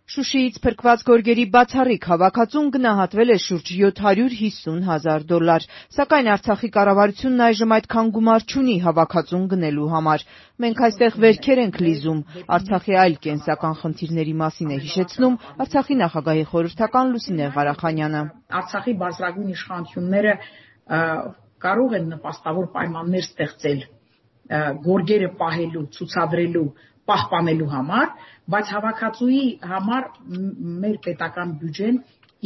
Շուշիից փրկված գորգերի բացառիկ հավաքածուն գնահատվել է շուրջ $750,000, սակայն Արցախի կառավարությունն այժմ այդքան գումար չունի հավաքածուն գնելու համար։ Մենք այստեղ վերքեր ենք լիզում, Արցախի այլ կենսական խնդիրների մասին է հիշեցնում Արցախի նախագահի խորհրդական Լուսինե Ղարախանյանը։ Արցախի բարձրագույն իշխանությունները կարող են նպաստավոր պայմաններ ստեղծել գորգերը պահելու, ցուցադրելու, պահպանելու համար, բայց հավաքածուի համար մեր պետական բյուջեն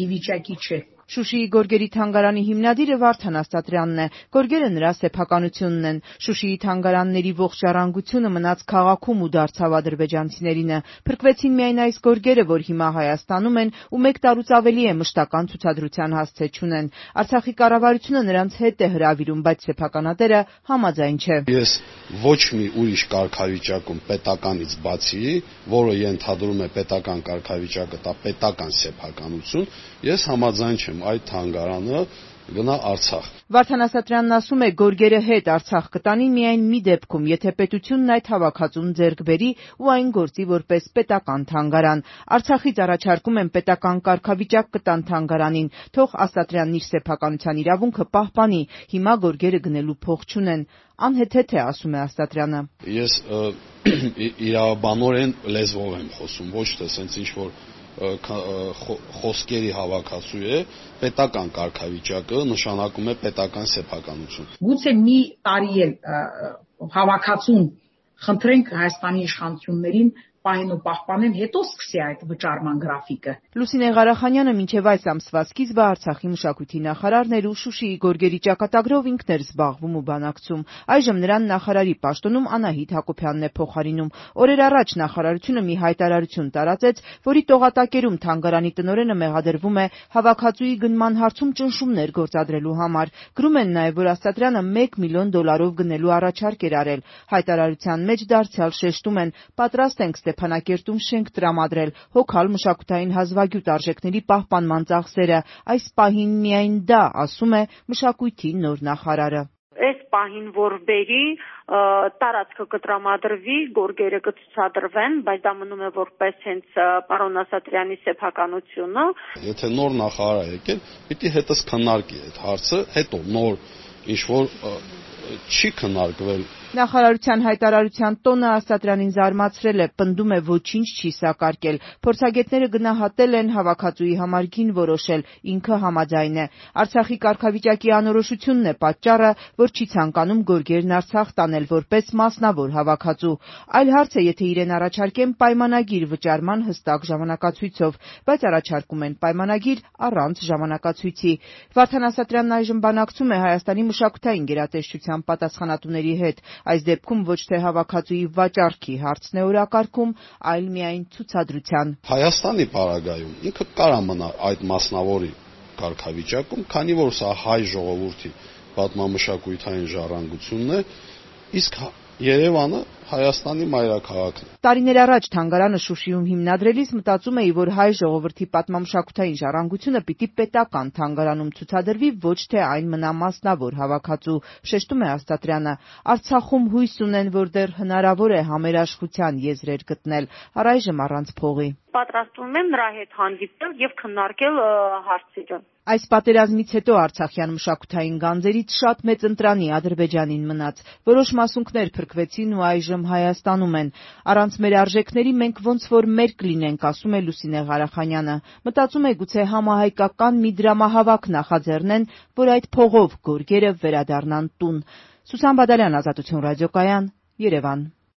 ի վիճակի չէ։ Շուշիի գորգերի թանգարանի հիմնադիրը Վարդան Աստատրյանն է, գորգերը նրա սեփականությունն են։ Շուշիի թանգարանների ողջ ժառանգությունը մնաց քաղաքում ու դարձավ ադրբեջանցիներինը։ Փրկվեցին միայն այս գորգերը, որ հիմա Հայաստանում են ու 1 տարուց ավելի է մշտական ցուցադրության հասցե չունեն։ Արցախի կառավարությունը նրանց հետ է հրավիրում, բայց սեփականատերը համաձայն չէ։ Ես ոչ մի ուրիշ կարգավիճակում պետականից բացի, որը ենթադրում է պետական կարգավիճակը, դա պետական սեփականություն, ես համաձայն չեմ այդ թանգարանը գնա Արցախ։ Վարդան Ասատրյանն ասում է, գորգերը հետ Արցախ կտանի միայն մի դեպքում, եթե պետությունն այդ հավաքածուն ձեռք բերի ու այն գործի որպես պետական թանգարան։ Արցախից առաջարկում են պետական կարգավիճակ կտան թանգարանին, թող Ասատրյանն իր սեփականության իրավունքը պահպանի։ Հիմա գորգերը գնելու փող չունեն։ Անհեթեթ է, ասում է Աստատրյանը։ Ես իրավաբանորեն լեզվով եմ խոսում, ոչ թե սենց ինչ-որ խոսքերի հավաքածու է, պետական կարգավիճակը նշանակում է պետական սեփականություն։ Գուցե մի տարի էլ հավաքածուն խնդրենք Հայաստանի իշխանություններին պահեն ու պահպանեն, հետո սկսի այդ վճարման գրաֆիկը։ Լուսինե Ղարախանյանը մինչև այս ամսվա սկիզբը Արցախի մշակույթի նախարարն էր ու Շուշիի գորգերի ճակատագրով ինքն էր զբաղվում ու բանակցում։ Այժմ նրան նախարարի պաշտոնում Անահիտ Հակոբյանն է փոխարինում։ Օրեր առաջ նախարարությունը մի հայտարարություն տարածեց, որի տողատակերում թանգարանի տնօրենը մեղադրվում է հավաքածուի գնման հարցում ճնշումներ գործադրելու համար։ Գրում են նաև, որ Աստատրյանը $1 միլիոն գնելու առաջարկ էր արել։ Հայտարարության մեջ դարձյալ շեշտում են, պատրաստ ենք Ստեփանակերտում շենք տրամադրել, հոգալ մշակութային հազվագյուտ արժեքների պահպանման ծախսերը։ Այս պահին միայն դա, ասում է մշակույթի նոր նախարարը։ Այս պահին որ բերի տարածքը կտրամադրվի, գորգերը կցուցադրվեն, բայց դա մնում է որպես հենց պարոն Ասատրյանի սեփականությունը։ Եթե նոր նախարար եկել, պիտի հետս քննարկի այդ հարցը, հետո նոր ինչ-որ չի քննարկվել։ Նախարարության հայտարարության տոնը Աստատրյանին զարմացրել է, պնդում է ոչինչ չի սակարկել։ Փորձագետները գնահատել են, հավաքածուի համար գին որոշել, ինքը համաձայն է։ Արցախի կարգավիճակի անորոշությունն է պատճառը, որ չի ցանկանում գորգերն Արցախ տանել որպես մասնավոր հավաքածու։ Այլ հարց է, եթե իրեն առաջարկեն պայմանագիր վճարման հստակ ժամանակացույցով, բայց առաջարկում են պայմանագիր առանց ժամանակացույցի։ Վարդան Ասատրյանն այժմ բանակցում է Հայաստանի մշակութային գերատեսչության պատասխանատուների հետ։ Այս դեպքում ոչ թե հավաքածուի վաճառքի հարցն է օրակարգում, այլ միայն ցուցադրության։ Հայաստանի պարագայում ինքը կարա մնա այդ մասնավորի կարգավիճակում, քանի որ սա հայ ժողովրդի պատմամշակութային ժառանգությունն է, իսկ Երևանը Հայաստանի մայրաքաղաքն է։ Տարիներ առաջ թանգարանը Շուշիում հիմնադրելիս մտածում էի, որ հայ ժողովրդի պատմամշակութային ժառանգությունը պիտի պետական թանգարանում ցուցադրվի, ոչ թե այն մնա մասնավոր հավաքածու, շեշտում է Աստատրյանը։ Արցախում հույս ունեն, որ դեռ հնարավոր է համերաշխության եզրեր գտնել, առայժմ առանց փողի։ Պատրաստվում եմ նրա հետ հանդիպել եւ քննարկել հարցերը։ Այս պատերազմից հետո արցախյան մշակութային գանձերից շատ մեծ ընտրանի Ադրբեջանին մնաց։ Որոշ մասունքներ փրկվեցին ու այժմ Հայաստանում են։ Առանց մեր արժեքների մենք ոնց որ մերկ լինենք, ասում է Լուսինե Ղարախանյանը։ Մտածում է գուցե համահայկական մի դրամահավաք նախաձեռնեն, որ այդ փողով գորգերը վերադառնան տուն։ Սուսան Բադալյան, Ազատություն ռադիոկայան, Երևան։